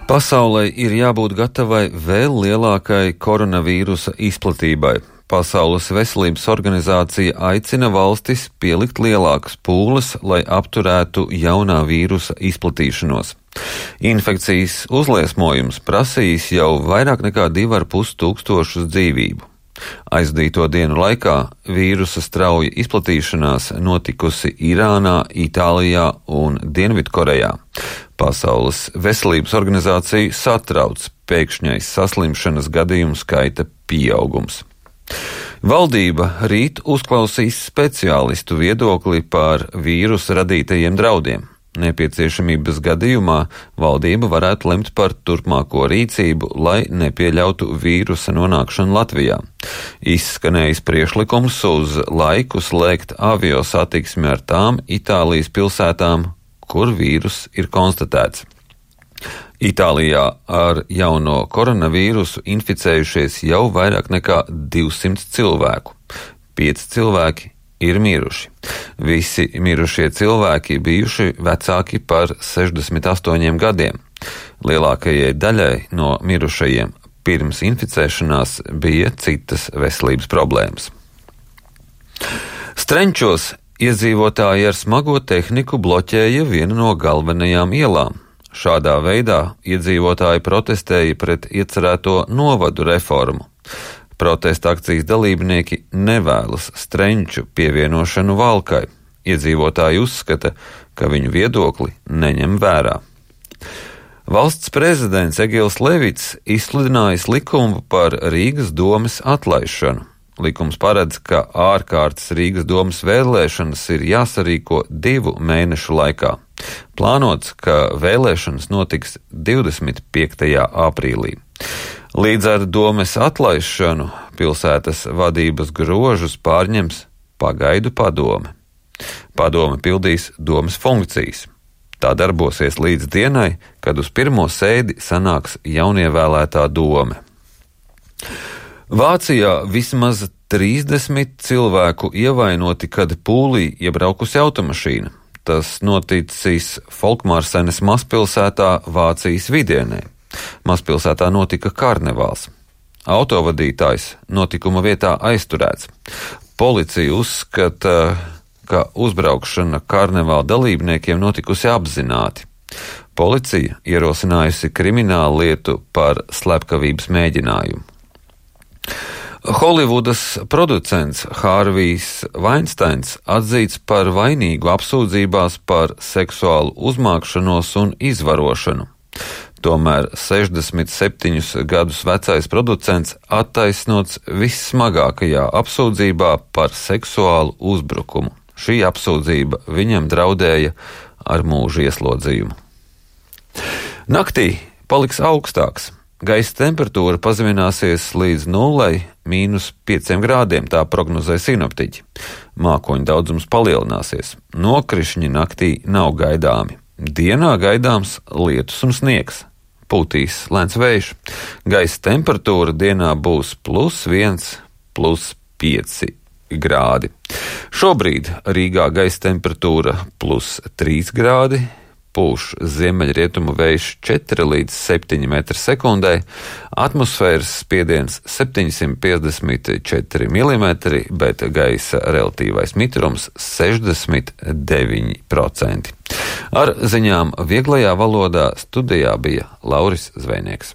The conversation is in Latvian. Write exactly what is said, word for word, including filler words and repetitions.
Pasaulei ir jābūt gatavai vēl lielākai koronavīrusa izplatībai. Pasaules veselības organizācija aicina valstis pielikt lielākas pūles, lai apturētu jaunā vīrusa izplatīšanos. Infekcijas uzliesmojums prasījis jau vairāk nekā divi ar pus tūkstošus dzīvību. Aizdīto dienu laikā vīrusa strauja izplatīšanās notikusi Irānā, Itālijā un Dienvidkorejā. Pasaules veselības organizāciju satrauc pēkšņais saslimšanas gadījumu skaita pieaugums. Valdība rīt uzklausīs speciālistu viedokli par vīrusa radītajiem draudiem. Nepieciešamības gadījumā valdība varētu lemt par turpmāko rīcību, lai nepieļautu vīrusa nonākšanu Latvijā. Izskanējis priekšlikums uz laiku slēgt avio satiksmi ar tām Itālijas pilsētām, kur vīrus ir konstatēts. Itālijā ar jauno koronavīrusu inficējušies jau vairāk nekā divsimt cilvēku. Pieci cilvēki ir miruši. Visi mirušie cilvēki bijuši vecāki par sešdesmit astoņiem gadiem. Lielākajai daļai no mirušajiem pirms inficēšanās bija citas veselības problēmas. Strenčos iedzīvotāji ar smago tehniku bloķēja vienu no galvenajām ielām. Šādā veidā iedzīvotāji protestēja pret iecerēto novadu reformu. Protesta akcijas dalībnieki nevēlas Strenču pievienošanu Valkai. Iedzīvotāji uzskata, ka viņu viedokli neņem vērā. Valsts prezidents Egils Levits izsludinājis likumu par Rīgas domes atlaišanu. Likums paredz, ka ārkārtas Rīgas domes vēlēšanas ir jāsarīko divu mēnešu laikā. Plānots, ka vēlēšanas notiks divdesmit piektajā aprīlī. Līdz ar domes atlaišanu pilsētas vadības grožus pārņems pagaidu padome. Padome pildīs domes funkcijas. Tā darbosies līdz dienai, kad uz pirmo sēdi sanāks jaunievēlētā dome. Vācijā vismaz trīsdesmit cilvēku ievainoti, kad pūlī iebraukusi automašīna. Tas noticis Folkmārsenes mazpilsētā Vācijas vidienē. Mazpilsētā notika karnevāls. Autovadītājs notikuma vietā aizturēts. Policija uzskata, ka uzbraukšana karnevāla dalībniekiem notikusi apzināti. Policija ierosinājusi kriminālu lietu par slepkavības mēģinājumu. Holivudas producents Hārvijs Vainsteins atzīts par vainīgu apsūdzībās par seksuālu uzmākšanos un izvarošanu. Tomēr sešdesmit septiņus gadus vecais producents attaisnots vissmagākajā apsūdzībā par seksuālu uzbrukumu. Šī apsūdzība viņam draudēja ar mūža ieslodzījumu. Naktī paliks augstāks. Gaisa temperatūra pazemināsies līdz nulei mīnus pieciem grādiem, tā prognozē sinoptiķi. Mākoņu daudzums palielināsies. Nokrišņi naktī nav gaidāmi. Dienā gaidāms lietus un sniegs. Pūtīs lēns vējš. Gaisa temperatūra dienā būs plus viens, plus pieci grādi. Šobrīd Rīgā gaisa temperatūra plus trīs grādi. Pūš ziemeļrietumu vējš četri līdz septiņi metri sekundē, atmosfēras spiediens septiņsimt piecdesmit četri milimetri, bet gaisa relatīvais mitrums sešdesmit deviņi procenti. Ar ziņām vieglajā valodā studijā bija Lauris Zvejnieks.